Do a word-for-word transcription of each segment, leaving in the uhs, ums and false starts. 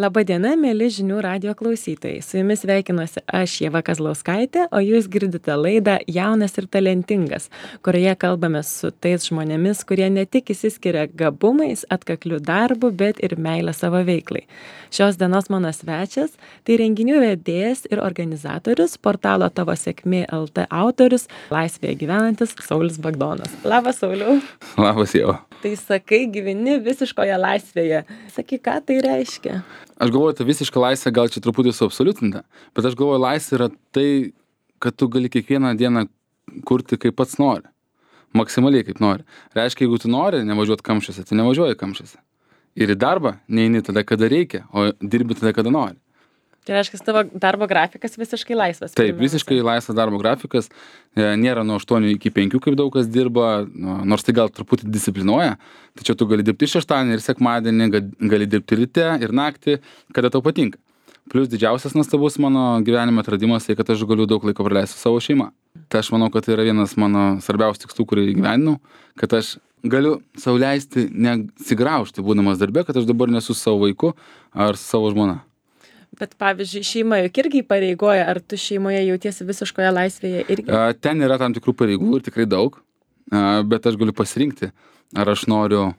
Labadiena, mėly žinių radijo klausytojai. Su jumis sveikinuosi aš, Ieva Kazlauskaitė, o jūs girdite laidą Jaunas ir talentingas, kurioje kalbame su tais žmonėmis, kurie ne tik išsiskiria gabumais, atkakliu darbu, bet ir meilę savo veiklai. Šios dienos mano svečias - tai renginių vedėjas ir organizatorius, portalo Tavo sėkmė L T autorius, laisvėje gyvenantis Saulius Bagdonas. Labas, Sauliau. Labas, Ieva. Tai sakai, gyveni visiškoje laisvėje. Sakai, ką tai reiškia? Aš galvoju, ta visiška laisvė gal čia truputį suabsoliutinta, bet aš galvoju, laisvė yra tai, kad tu gali kiekvieną dieną kurti kaip pats nori. Maksimaliai kaip nori. Reiškia, jeigu tu nori nevažiuoti kamščiuose, tai nevažiuoji kamščiuose. Ir į darbą neini tada, kada reikia, o dirbi tada, kada nori. Tai reiškia, tavo darbo grafikas visiškai laisvas. Taip, visiškai laisvas darbo grafikas. Nėra nuo aštuonių iki penkių, kaip daug kas dirba, nors tai gal truputį disciplinuoja. Tačiau tu gali dirbti šeštadienį ir sekmadienį, gali dirbti ryte ir naktį, kada tau patinka. Plius didžiausias nuostabus mano gyvenimo atradimas, tai kad aš galiu daug laiko praleisti su savo šeima. Tai aš manau, kad tai yra vienas mano svarbiausių tikslų, kurį įgyvendinau, kad aš galiu sau leisti nesigraužti, būdamas darbe, kad aš dabar nesu su savo vaiku ar su savo žmona. Bet pavyzdžiui, šeima juk irgi pareigoja, ar tu šeimoje jautiesi visiškoje laisvėje irgi? Ten yra tam tikrų pareigų ir tikrai daug, bet aš galiu pasirinkti, ar aš noriu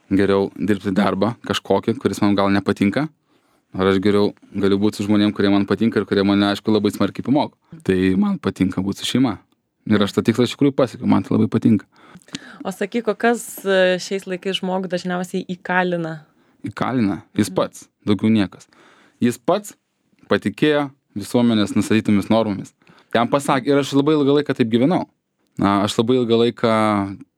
geriau dirbti darbą kažkokį, kuris man gal nepatinka, ar aš geriau galiu būti su žmonėm, kurie man patinka ir kurie mane, aišku, labai smarkiai pamoko. Tai man patinka būti su šeima. Ir aš tą tikslą iš tikrųjų pasiekiau, man tai labai patinka. O sakyk, o kas šiais laikais žmogų dažniausiai įkalina? Įkalina? Jis pats, daugiau niekas. Jis pats patikėjo visuomenės nustatytomis normomis. Jam pasakė, ir aš labai ilgą laiką taip gyvenau. Na, aš labai ilgą laiką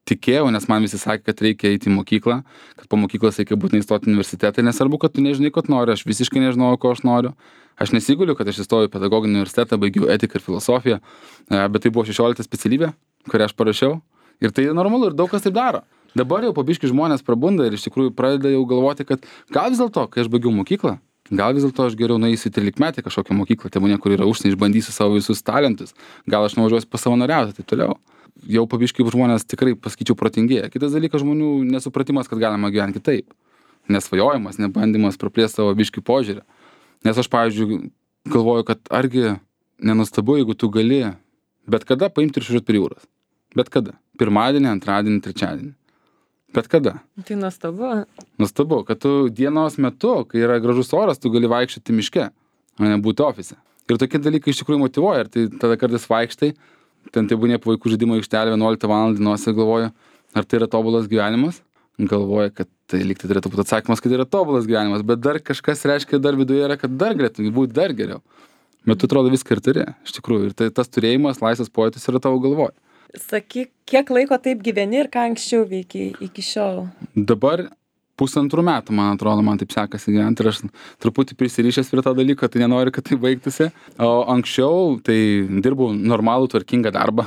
tikėjau, nes man visi sakė, kad reikia eiti į mokyklą, kad po mokyklos reikia būtinai įstoti į universitetą, nesvarbu, kad tu nežinai, ko nori, aš visiškai nežinojau, ko aš noriu. Aš nesiguliu, kad aš įstojau į pedagoginį universitetą, baigiau etiką ir filosofiją, bet tai buvo šešiolikta specialybė, kurią aš parašiau. Ir tai normalu, ir daug kas taip daro. Dabar jau po biškį žmonės prabunda ir iš tikrųjų pradeda jau galvoti, kad gal vis dėlto, kai aš baigiau mokyklą, gal vis dėlto aš geriau nueisiu į trylikmetę kažkokią mokyklą, tebūnie, kur yra užsienį, išbandysiu savo visus talentus, gal aš nuvažiuosiu pasavanoriauti, taip toliau. Jau po biškį žmonės tikrai, pasakyčiau, protingėja. Kitas dalykas, žmonių nesupratimas, kad galima gyventi kitaip. Nesvajojimas, nebandymas praplėsti savo biškį požiūrį. Nes aš, pavyzdžiui, galvoju, kad argi nenustabu, jeigu tu gali bet kada paimti ir išvažiuoti prie jūros. Bet kada. Pirmadienį, antradienį, trečiadienį. Bet kada. Tai nuostabu. Nuostabu, kad tu dienos metu, kai yra gražus oras, tu gali vaikščioti miške, o ne būti ofise. Ir tokie dalykai iš tikrųjų motyvuoja. Ir tai tada kartais vaikštai, ten tai būnė po vaikų žaidimo aikštelė vienuoliktą valandą dienos ir galvoja, ar tai yra tobulas gyvenimas. Galvoja, kad tai lyg tai turėtų būti atsakymas, kad tai yra tobulas gyvenimas, bet dar kažkas reiškia dar viduje yra, kad dar galėtų būti dar geriau. Bet tu atrodo viską ir turi, iš tikrųjų. Ir tai tas turėjimas, laisvas pojūtis yra tavo galvoje. Sakyk, kiek laiko taip gyveni ir ką anksčiau veikiai iki šiol? Dabar pusantrų metų, man atrodo, man taip sekasi gyventi ir aš truputį prisirišęs prie to dalyko, tai nenoriu, kad tai baigtųsi. O anksčiau tai dirbau normalų, tvarkingą darbą.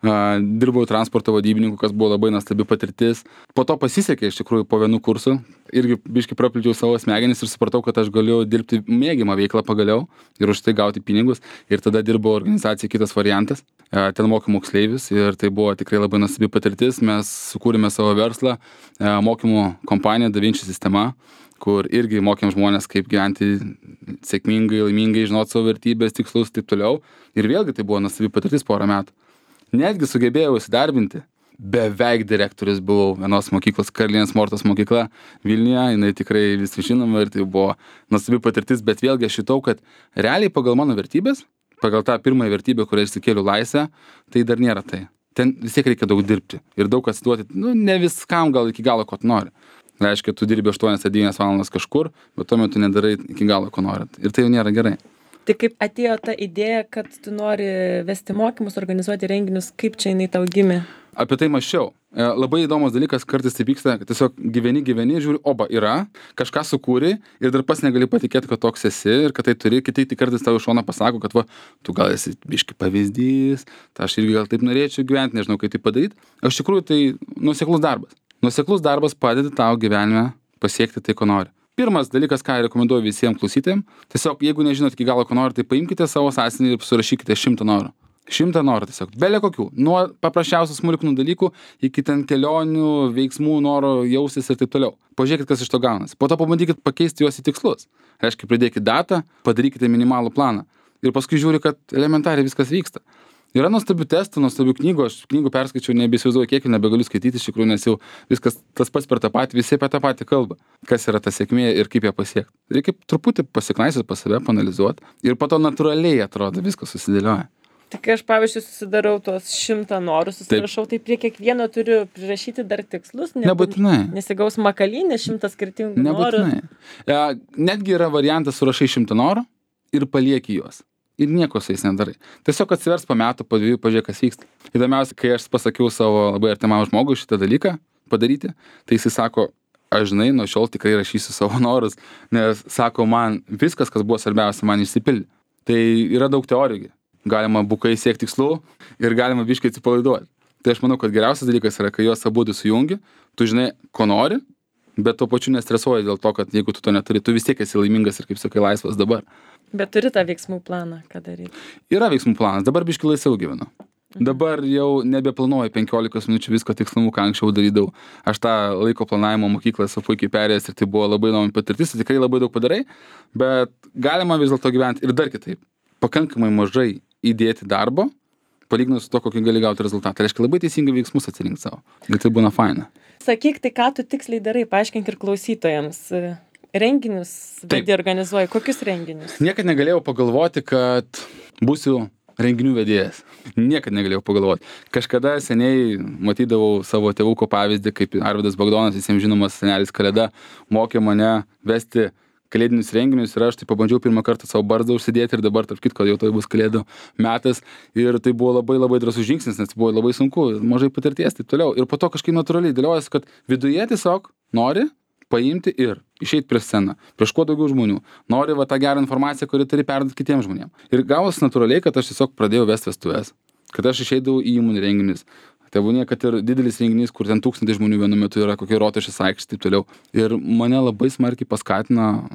Dirbau transporto vadybininku, kas buvo labai nuostabi patirtis. Po to pasisekė iš tikrųjų po vienų kursų. Irgi biškai praplėčiau savo smegenis ir supratau, kad aš galiu dirbti mėgiamą veiklą pagaliau ir už tai gauti pinigus. Ir tada dirbau organizacijai Kitas variantas. Ten mokymų moksleivius ir tai buvo tikrai labai nuostabi patirtis. Mes sukūrėme savo verslą, mokymų kompaniją DaVinci sistema, kur irgi mokėm žmonės, kaip gyventi sėkmingai, laimingai, žinot savo vertybės, tikslus ir taip toliau. Ir vėlgi tai buvo nuostabi patirtis porą metų. Netgi sugebėjau įsidarbinti. Beveik direktorius buvau vienos mokyklos, Karalienės Mortos mokykla Vilniuje, jinai tikrai visi žinoma ir tai buvo nuostabi patirtis, bet vėlgi aš šitau, kad realiai pagal mano vertybės, pagal tą pirmąją vertybę, kurią išsikėliau laisvę, tai dar nėra tai. Ten vis tiek reikia daug dirbti ir daug atsiduoti, nu, ne viskam gal iki galo, ko tu nori. Reiškia, tu dirbi aštuonias devynias valandas kažkur, bet tuo metu nedarai iki galo, ko nori. Ir tai jau nėra gerai. Tai kaip atėjo ta idėja, kad tu nori vesti mokymus, organizuoti renginius, kaip čia jinai tau gimė? Apie tai mąsčiau. Labai įdomus dalykas, kartais taip vyksta, kad tiesiog gyveni, gyveni ir žiūri, oba, yra, kažką sukūri ir dar pas negali patikėti, kad toks esi ir kad tai turi, kiti tai kartais tau iš šono pasako, kad va, tu gal esi biški pavyzdys, tai aš irgi gal taip norėčiau gyventi, nežinau, kaip tai padaryti. Iš tikrųjų, tai nuoseklus darbas. Nuoseklus darbas padeda tau gyvenime pasiekti tai, ko nori. Pirmas dalykas, ką rekomenduoju visiems klausytojams, tiesiog jeigu nežinot iki galo, ko nori, tai paimkite savo sąsiuvinį ir surašykite šimtą norų. Šimtą norų tiesiog, belė kokių, nuo paprasčiausių smulkmenų dalykų iki ten kelionių, veiksmų, noro jaustis ir taip toliau. Pažiūrėkit, kas iš to gaunasi. Po to pabandykit pakeisti juos į tikslus. Reiškia, pridėkit datą, padarykite minimalų planą. Ir paskui žiūri, kad elementariai viskas vyksta. Yra nuostabių testų, nuostabių knygų, aš knygų perskaičiau, nebesivaizduoju kiek, nebegaliu skaityti iš tikrųjų, nes jau viskas tas pats per tą patį, visi apie tą patį kalba. Kas yra ta sėkmė ir kaip ją pasiekti. Reikia truputį pasiknaisiot pas save, panalizuoti ir po to natūraliai atrodo, viskas susidėlioja. Tai kai aš, pavyzdžiui, susidarau tuos šimtą norų, susirašau, tai prie kiekvieno turiu prirašyti dar tikslus, nebūtinai. Nesigaus makalynė, šimtas skirtingų nebūtinai. norų. Nebūtinai. Netgi yra variantas surašai šimtą norų ir palieki juos. Ir nieko su jais nedarai. Tiesiog atsivers po metų, po dviejų, pažiūrėk, kas vyksta. Įdomiausia, kai aš pasakiau savo labai artimam žmogui šitą dalyką padaryti, tai jisai sako, aš žinai, nuo šiol tikrai rašysiu savo norus, nes sako, man viskas, kas buvo svarbiausia, man išsipildė. Tai yra daug teorijų. Galima bukai siekti tikslų ir galima biškai atsipalaiduoti. Tai aš manau, kad geriausias dalykas yra, kai juos abudu sujungi, tu žinai, ko nori, bet tuo pačiu nestresuoji dėl to, kad jeigu tu to neturi, tu vis tiek esi laimingas ir, kaip sakai, laisvas dabar. Bet turi tą veiksmų planą, ką daryti? Yra veiksmų planas, dabar biškai laisviau gyvenu. Dabar jau nebeplanuoju penkiolikos minučių visko tikslumu, ką anksčiau darydavau. Aš tą laiko planavimo mokyklą esu puikiai perėjęs ir tai buvo labai įdomi patirtis, tikrai labai daug padarai, bet galima vis dėlto gyventi ir dar kitaip. Pakankamai mažai įdėti darbo, palyginus su to, kokį gali gauti rezultatą. Tai reiškia labai teisingai veiksmus atsirinkti savo. Ir tai būna faina. Sakyk, tai ką tu tiksliai darai, paaiškink ir klausytojams. Renginius vedi, organizuoji. Kokius renginius? Niekad negalėjau pagalvoti, kad būsiu renginių vedėjas. Niekad negalėjau pagalvoti. Kažkada seniai matydavau savo tėvuko pavyzdį, kaip Arvydas Bagdonas, visiems žinomas senelis Kalėda, mokė mane vesti kalėdinius renginius ir aš tai pabandžiau pirmą kartą savo barzdą užsidėti ir dabar, tarp kitko, jau tai bus kalėdų metas ir tai buvo labai labai drąsus žingsnis, nes buvo labai sunku, mažai patirties, taip toliau. Ir po to kažkaip natūraliai dėliojasi, kad viduje tiesiog nori paimti ir išeiti prieš sceną, prieš kuo daugiau žmonių. Nori va tą gerą informaciją, kuri turi perduoti kitiems žmonėms. Ir gavosi natūraliai, kad aš tiesiog pradėjau vesti vestuves, kad aš išeidavau į įmonių renginius. Tebūnie, kad ir didelis renginys, kur ten tūkstantis žmonių vienu metu yra, kokie Rotušės aikštė, taip toliau. Ir mane labai smarkiai paskatina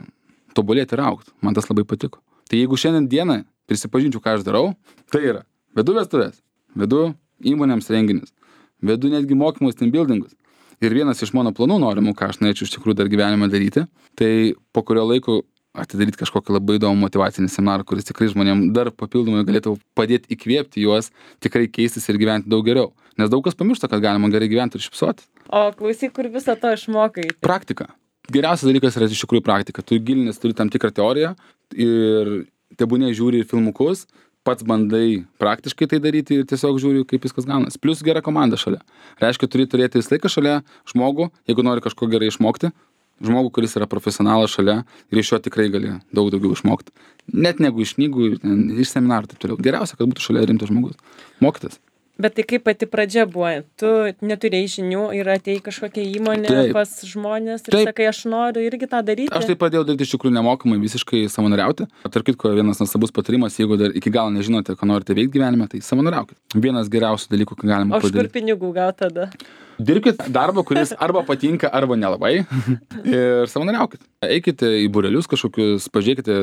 tobulėti ir augti. Man tas labai patiko. Tai jeigu šiandien dieną prisipažinčiau, ką aš darau, tai yra vedu vestuves, vedu įmonėms renginius, vedu netgi mokymus, team buildingus. Ir vienas iš mano planų norimų, ką aš norėčiau iš tikrųjų dar gyvenime daryti, tai po kurio laiko atidaryti kažkokį labai įdomų motyvacinį seminarą, kuris tikrai žmonėm dar papildomai galėtų padėti įkvėpti juos, tikrai keistis ir gyventi daug geriau. Nes daug kas pamiršta, kad galima gerai gyventi ir šypsotis. O klausyk, kur visą to išmokai? Praktika. Geriausias dalykas yra iš tikrųjų praktika. Tu gilinės, turi tam tikrą teoriją ir tebūnie žiūri filmukus, pats bandai praktiškai tai daryti ir tiesiog žiūri, kaip viskas gaunasi. Plius gera komanda šalia. Reiškia, turi turėti visą laiką šalia žmogų, jeigu nori kažko gerai išmokti, žmogų, kuris yra profesionalas šalia ir iš jo tikrai gali daug daugiau išmokti. Net negu iš knygų, iš seminarų taip toliau. Geriausia, kad būtų šalia rimtas žmogus. Mokytas. Bet tai kaip pati pradžia buvo? Tu neturėjai žinių ir atėjai kažkokią įmonę taip. Pas žmonės ir taip. Sakai, aš noriu irgi tą daryti. Aš tai pradėjau daryti iš tikrųjų nemokamai, visiškai savanoriauti. Tarp kitko, vienas nuostabus patarimas, jeigu dar iki galo nežinote, ką norite veikti gyvenime, tai savanoriaukit. Vienas geriausių dalykų, ką galima padaryti. O iš kur pinigų gauti tada? Dirbkit darbą, kuris arba patinka, arba nelabai ir savanoriaukit. Eikite į būrelius kažkokius, pažiūrėkite,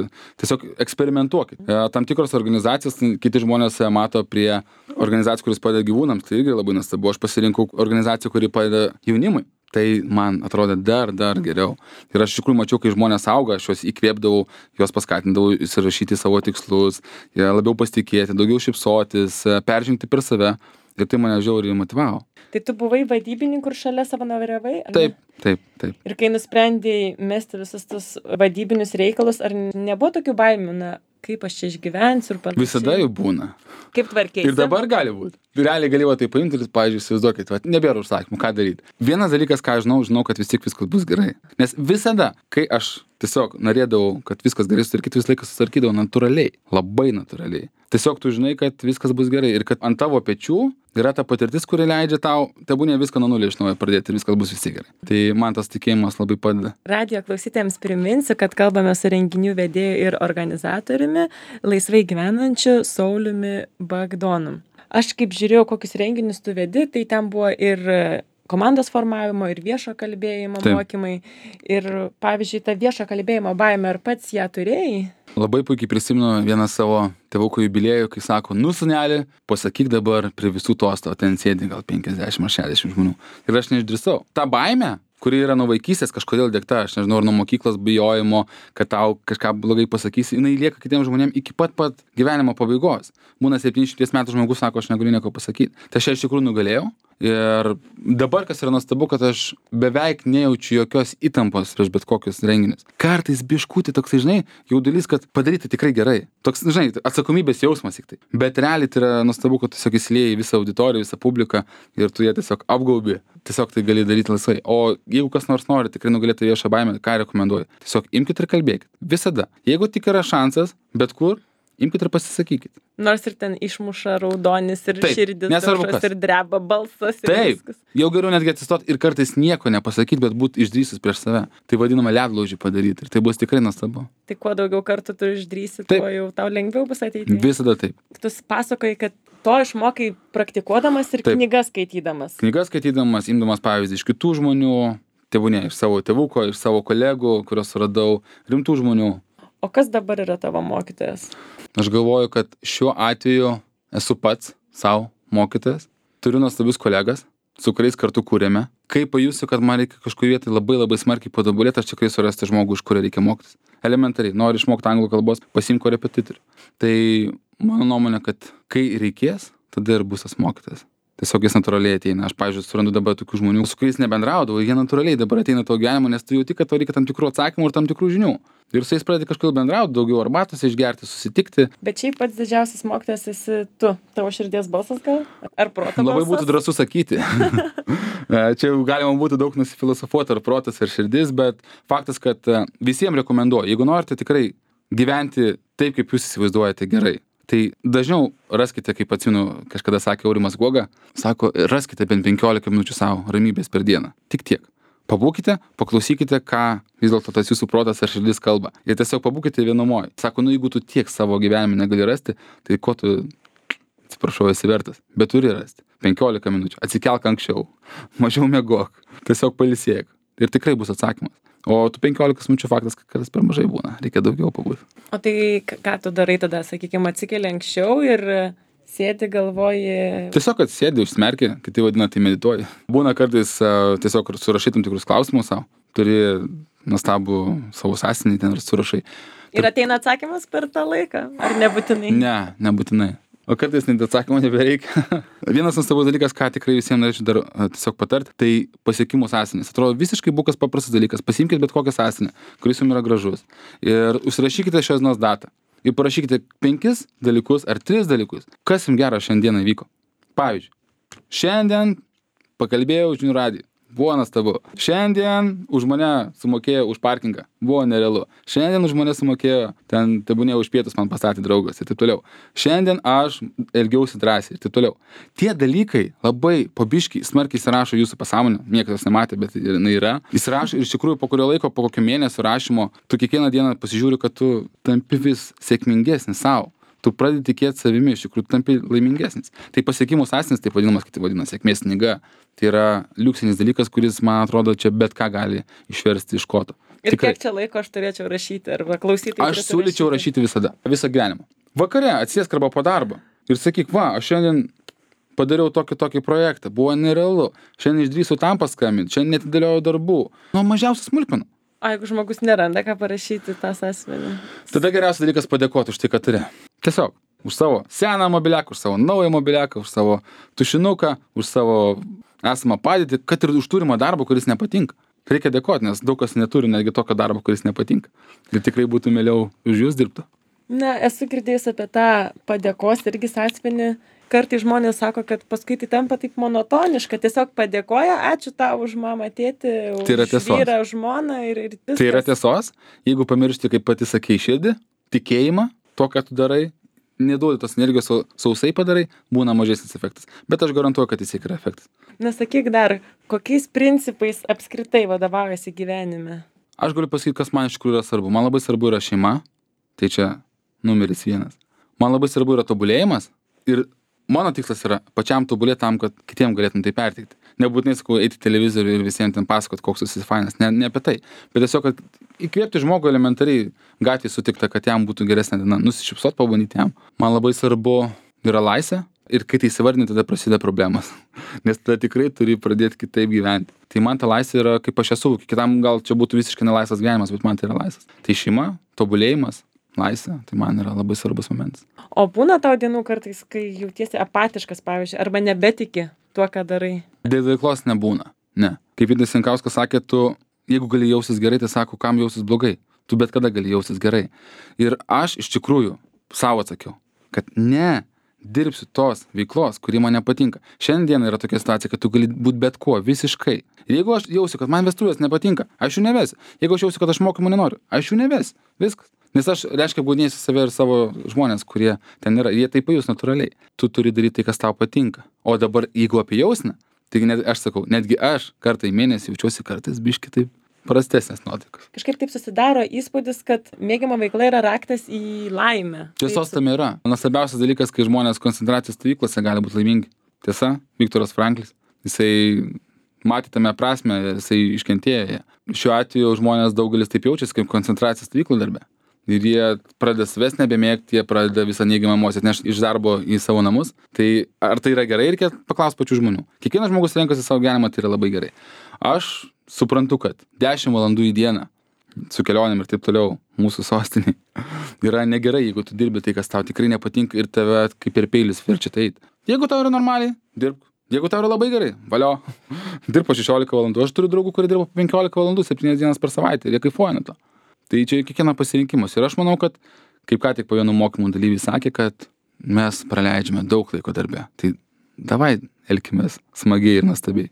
tiesiog eksperimentuokit. Tam tikros organizacijos, kiti žmonės mato prie organizacijų, kuris padeda gyvūnams, tai irgi labai nuostabu. Aš pasirinkau organizaciją, kuri padeda jaunimui. Tai man atrodė dar, dar geriau. Ir aš iš tikrųjų mačiau, kai žmonės auga, aš juos įkvėpdavau, juos paskatindavau įsirašyti savo tikslus, labiau pasitikėti, daugiau šypsotis, peržengti per save. Ir tai mane žiauriai motyvavo. Tai tu buvai vadybininkų ir šalia savanoriavai? Taip, taip, taip. Ir kai nusprendėjai mesti visus tus vadybinius reikalus, ar nebuvo tokių baimių, na, kaip aš čia išgyvensiu ir panašiai? Visada jų būna. Kaip tvarkėsi? Ir dabar gali būti. Realiai galėjau tai paimti ir, pavyzdžiui, įsivaizduokit, va, nebėra užsakymų, ką daryti. Vienas dalykas, ką aš žinau, žinau, kad vis tiek viskas bus gerai. Nes visada, kai aš tiesiog norėdavau, kad viskas gerai sutvarkyti, visą laiką sutvarkydavau natūraliai, labai natūraliai. Tiesiog tu žinai, kad viskas bus gerai ir kad ant tavo pečių yra ta patirtis, kuri leidžia tau, tebūnie viską nuo nulio iš naujo pradėti ir viskas bus visi gerai. Tai man tas tikėjimas labai padeda. Radijo klausytėjams priminsiu, kad kalbame su renginių vedėju ir organizatoriumi, laisvai gyvenančiu Sauliumi Bagdonu. Aš kaip žiūrėjau, kokius renginius tu vedi, tai ten buvo ir komandos formavimo, ir viešo kalbėjimo Taip. Mokymai. Ir, pavyzdžiui, tą viešo kalbėjimo baimę, ar pats ją turėjai? Labai puikiai prisimenu vieną savo tėvuko jubiliejų, kai sako, nu sūneli, pasakyk dabar prie visų tosto, ten sėdi gal penkiasdešimt ar šešiasdešimt žmonių. Ir aš neišdrįsau. Ta baimė, kuri yra nuo vaikystės kažkodėl dėkta, aš nežinau, ar nuo mokyklos bijojimo, kad tau kažką blogai pasakysi, jinai lieka kitiems žmonėms iki pat pat gyvenimo pabaigos. Būna septyniasdešimties metų žmogus sako, aš negaliu nieko pasakyti. Tai aš iš tikrųjų nugalėjau. Ir dabar, kas yra nuostabu, kad aš beveik nejaučiu jokios įtampos prieš bet kokius renginius. Kartais biškutį toksai, žinai, jaudulys, kad padaryti tikrai gerai. Toks, žinai, atsakomybės jausmas tik tai. Bet realiai tai yra nuostabu, kad tiesiog įsilieji visą auditoriją, visą publiką ir tu ją tiesiog apgaubi. Tiesiog tai gali daryti laisvai. O jeigu kas nors nori tikrai nugalėti viešą baimę, ką rekomenduoju? Tiesiog imkite ir kalbėkite. Visada. Jeigu tik yra šansas, bet kur, imkite ir pasisakykite. Nors ir ten išmuša raudonis ir Taip, širdis nesvarbu daužos kas. ir dreba balsas ir Taip, viskas. jau geriau netgi atsistot ir kartais nieko nepasakyti, bet būt išdrįsus prieš save. Tai vadinama ledlaužį padaryti ir tai bus tikrai nuostabu. Tai kuo daugiau kartų tu išdrįsi, Taip. tuo jau tau lengviau bus ateiti. Visada taip. Tu pasakoji, kad to išmokai praktikuodamas ir Taip. knygas skaitydamas. Knygas skaitydamas, imdamas pavyzdį iš kitų žmonių, tėvūnė, iš savo tėvuko, iš savo kolegų, kuriuos radau, rimtų žmonių. O kas dabar yra tavo mokytojas? Aš galvoju, kad šiuo atveju esu pats savo mokytojas. Turiu nuostabius kolegas, su kuriais kartu kūrėme. Kai pajusiu, kad man reikia kažkur vietoj labai labai smarkiai patobulėti, aš tikrai surasti žmogų, iš kurio reikia mokytis. Elementariai, nori išmokti anglų kalbos, pasiimk korepetitorių. Tai mano nuomonė, kad kai reikės, tada ir bus tas mokytojas. Tiesiog jis natūraliai ateina. Aš, pavyzdžiui, surandu dabar tokių žmonių, su kuriais nebendraudavau, jie natūraliai dabar ateina tavo gyvenimą, nes tu jauti, kad tau reikia tam tikrų atsakymų ir tam tikrų žinių. Ir su jais pradedi kažkodėl bendrauti, daugiau arbatos išgerti, susitikti. Bet šiaip pats didžiausias mokytojas esi tu. Tavo širdies balsas gal? Ar proto balsas? Labai būtų drąsu sakyti. Čia jau galima būtų daug nusifilosofuoti, ar protas, ar širdis, bet faktas, kad visiems rekomenduoju, jeigu norite tikrai gyventi taip, kaip jūs įsivaizduojate gerai, tai dažniau raskite, kaip atsimenu, kažkada sakė Aurimas Guoga, sako, raskite bent penkiolika minučių savo ramybės per dieną. Tik tiek. Pabūkite, paklausykite, ką vis dėlto tas jūsų protas ar širdis kalba. Ir tiesiog pabūkite vienumoj. Sako, nu jeigu tu tiek savo gyvenime negali rasti, tai ko tu, atsiprašau, esi vertas. Bet turi rasti. penkiolika minučių. Atsikelk anksčiau. Mažiau miegok. Tiesiog pailsėk. Ir tikrai bus atsakymas. O tu penkiolikos minučių faktas, kad kartais per mažai būna. Reikia daugiau pabūti. O tai ką tu darai tada, sakykime, atsikeli anksčiau ir sėdi, galvoji... Tiesiog atsėdi, užsmerki, kiti vadina, tai medituoji. Būna kartais uh, tiesiog surašai tam tikrus klausimus savo. Turi nuostabų savo sąsiuvinį ten ir surašai. Ir ateina atsakymas per tą laiką? Ar nebūtinai? Ne, nebūtinai. O kartais net atsakymo nebereikia. Vienas nuostabus dalykas, ką tikrai visiems norėčiau dar uh, tiesiog patarti, tai pasiekimų sąsiuvinis. Atrodo visiškai bukas paprastas dalykas. Pasiimkite bet kokią sąsiuvinį, kuris jums yra gražus. Ir užsirašykite šios dienos datą. Ir parašykite penkis dalykus ar tris dalykus, kas jums gero šiandieną vyko. Pavyzdžiui, šiandien pakalbėjau žinių radiją. Buvo nuostabu. Šiandien už mane sumokėjo už parkingą. Buvo nerealu. Šiandien už mane sumokėjo, ten tebūnė už pietus man pastatė draugas ir taip toliau. Šiandien aš elgiausi drąsiai ir taip toliau. Tie dalykai labai pabiškiai smarkiai įsirašo jūsų pasąmonę. Niekas jos nematė, bet jinai yra. Įsirašo ir iš tikrųjų po kurio laiko, po kokio mėnesio rašymo, tu kiekvieną dieną pasižiūri, kad tu tampi vis sėkmingesnis savo. Tu pradedi tikėti savimi, iš tikrųjų tampi laimingesnis. Tai pasiekimų sąsiuvinis, taip vadinamas, kaip tai vadina, sėkmės knyga. Tai yra liuksinis dalykas, kuris, man atrodo, čia bet ką gali išversti iš koto. Ir Tikrai. kiek čia laiko aš turėčiau rašyti arba klausyti? Aš siūlyčiau rašyti visada, visą gyvenimą. Vakare atsėsk arba po darbo ir sakyk, va, aš šiandien padariau tokį tokį projektą, buvo nerealu, šiandien išdrįsau tam paskambinti, šiandien netidėliojau darbų. Nuo mažiausios smulkmenų. O jeigu žmogus neranda, ką parašyti tą sąsiuvinį? Tada geriausias dalykas padėkoti už tai, ką turi. Tiesiog. Už savo seną mobiliaką, už savo naują mobiliaką, už savo tušinuką, už savo esamą padėtį, kad ir už turimą darbą, kuris nepatinka. Reikia dėkoti, nes daug kas neturi netgi tokio darbo, kuris nepatinka. Ir tikrai būtų mieliau už jūs dirbti. Na, esu girdėjus apie tą padėkos irgi sąsiuvinį. Kartais žmonės sako, kad paskui tai tampa taip monotoniška. Tiesiog padėkoja, ačiū tau už mamą, tėtį, už Tai yra tiesos. vyrą, už žmoną ir, ir viskas. Tai yra tiesos, jeigu pamiršti, kaip pati sakei, širdį, tikėjimą, to, ką tu darai, neduodi tos energijos, o sausai padarai, būna mažesnis efektas. Bet aš garantuoju, kad jis yra efektas. Na, sakyk dar, kokiais principais apskritai vadovaujasi gyvenime? Aš galiu pasakyti, kas man iš tikrųjų yra svarbu. Man labai svarbu yra šeima, tai čia numeris vienas. Man labai svarbu yra tobulėjimas ir mano tikslas yra pačiam tobulėti tam, kad kitiem galėtum tai perteikti. Nebūtinai sakau, eiti į televizorių ir visiems ten pasakot, koks esi fainas. Ne, ne apie tai. Bet tiesiog, kad įkvėpti žmogų elementariai gatvėje sutikta, kad jam būtų geresnė diena. Nusišypsot, pabandyti jam. Man labai svarbu yra laisvė. Ir kai tai įsivardini, tada prasideda problemas. Nes tada tikrai turi pradėti kitaip gyventi. Tai man ta laisvė yra, kaip aš esu, kitam gal čia būtų visiškai nelaisvas gyvenimas, bet man tai yra laisvas. Tai šeima, tobulėjimas, laisvė, tai man yra labai svarbus momentas. O būna tau dienų kartais, kai jautiesi apatiškas, pavyzdžiui, arba nebetiki tuo, ką darai? Dėl veiklos nebūna. Ne. Kaip Vydas Jankauskas sakė, tu, jeigu gali jausis gerai, tai sako, kam jausis blogai. Tu bet kada gali jausis gerai. Ir aš iš tikrųjų savo atsakiau, kad ne, dirbsiu tos veiklos, kuri man nepatinka. Šiandien yra tokia situacija, kad tu gali būti bet kuo, visiškai. Ir jeigu aš jausiu, kad man vestuvės nepatinka, aš jų nevesiu. Jeigu aš jausiu, kad aš mokymų nenoriu, aš jų nevesiu. Viskas. Nes aš, reiškia, apgaudinėsiu save ir savo žmonės, kurie ten yra. Jie tai pajus natūraliai. Tu turi daryti tai, kas tau patinka. O dabar, jeigu apie jausmą, tai net, aš sakau, netgi aš kartą į mėnesį jaučiuosi kartais biški taip prastesnės nuotaikos. Kažkaip taip susidaro įspūdis, kad mėgiama veikla yra raktas į laimę. Tiesos tam yra. Nuostabiausias dalykas, kai žmonės koncentracijos stovyklose gali būti laimingi. Tiesa, Viktoras Franklis, jisai matė tame prasme, jisai iškentėjo. Šiuo atveju žmonės daugelis taip jaučiasi kaip koncentracijos stovyklų darbe. Ir jie pradeda savęs nebemėgti, jie pradeda visą neigiamą emociją atnešti iš darbo į savo namus. Tai ar tai yra gerai, reikia paklausti pačių žmonių. Kiekvienas žmogus renkasi savo gyvenimą, tai yra labai gerai. Aš suprantu, kad dešimt valandų į dieną su kelionėm ir taip toliau mūsų sostiniai yra negerai, jeigu tu dirbi tai, kas tau tikrai nepatinka ir tave kaip ir peilis verčia tai eiti. Jeigu tau yra normaliai, dirbk. Jeigu tau yra labai gerai, valio, dirb po šešiolika valandų. Aš turiu draugų, kurie dirba po penkiolika valandų, septynias dienas per savaitę ir jie kaifuoja nuo to. Tai čia kiekvieno pasirinkimas. Ir aš manau, kad, kaip ką tik po vienų mokymų dalyviai sakė, kad mes praleidžiame daug laiko darbe. Tai davai elkimės smagiai ir nuostabiai.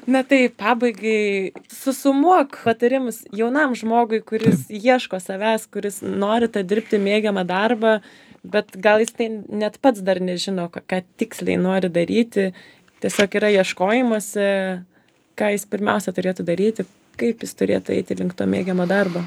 Na tai pabaigai susumuok patarimus jaunam žmogui, kuris Taip. ieško savęs, kuris nori tą dirbti mėgiamą darbą, bet gal jis tai net pats dar nežino, ką tiksliai nori daryti. Tiesiog yra ieškojimuose, ką jis pirmiausia turėtų daryti, kaip jis turėtų eiti link to mėgiamą darbą.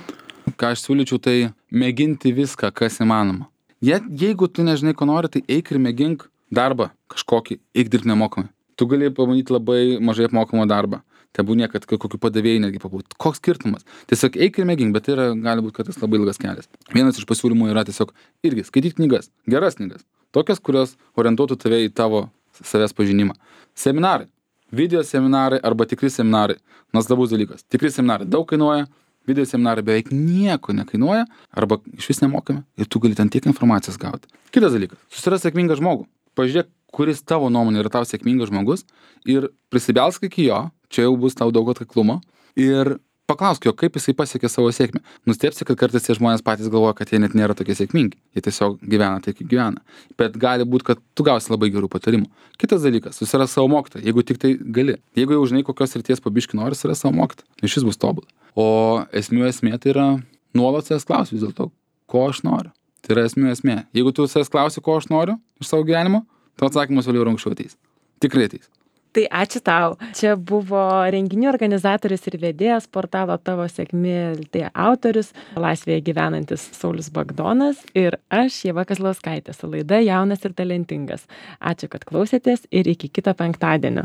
Ką aš siūlyčiau, tai mėginti viską, kas įmanoma. Je, jeigu tu nežinai, ko nori, tai eik ir mėgink darbą kažkokį, eik dirbti nemokamai. Tu gali pabandyti labai mažai apmokamą darbą. Tebūnie, kad kokiu padavėjai netgi pabūt. Koks skirtumas? Tiesiog eik ir mėgink, bet tai yra, gali būti, kad tas labai ilgas kelias. Vienas iš pasiūlymų yra tiesiog irgi skaityti knygas, geras knygas. Tokias, kurios orientuotų tave į tavo savęs pažinimą. Seminarai, video seminarai arba tikri seminarai. Nuostabus dalykas. Tikri seminarai daug kainuoja. Video seminarai beveik nieko nekainuoja arba iš vis nemokame ir tu gali ten tiek informacijos gauti. Kitas dalykas. Susiras sėkmingą žmogų. Pažiūrėk, kuris tavo nuomonė yra tau sėkmingas žmogus ir prisibelsk iki jo, čia jau bus tau daug atkaklumo ir paklausk jo, kaip jisai pasiekė savo sėkmę. Nustebsi, kad kartais tie žmonės patys galvoja, kad jie net nėra tokie sėkmingi. Jie tiesiog gyvena taip, kaip gyvena. Bet gali būti, kad tu gausi labai gerų patarimų. Kitas dalykas, susiras savo mokytoją, jeigu tik tai gali. Jeigu jau žinai, kokios srities pabiški nori, susiras savo mokytoją. Ir šis bus tobulas. O esmių esmė tai yra nuolat savęs klausti vis dėlto, ko aš noriu. Tai yra esmių esmė. Jeigu tu savęs klausi, ko aš noriu iš savo gyvenimo, tavo atsakymas vėliau ir anksčiau ateis. Tikrai ateis. Tai ačiū tau. Čia buvo renginių organizatorius ir vedėjas portalo Tavo sėkmė L T autorius, Laisvėje gyvenantis Saulius Bagdonas ir aš, Ieva Kazlauskaitė, su laida Jaunas ir talentingas. Ačiū, kad klausėtės ir iki kito penktadienio.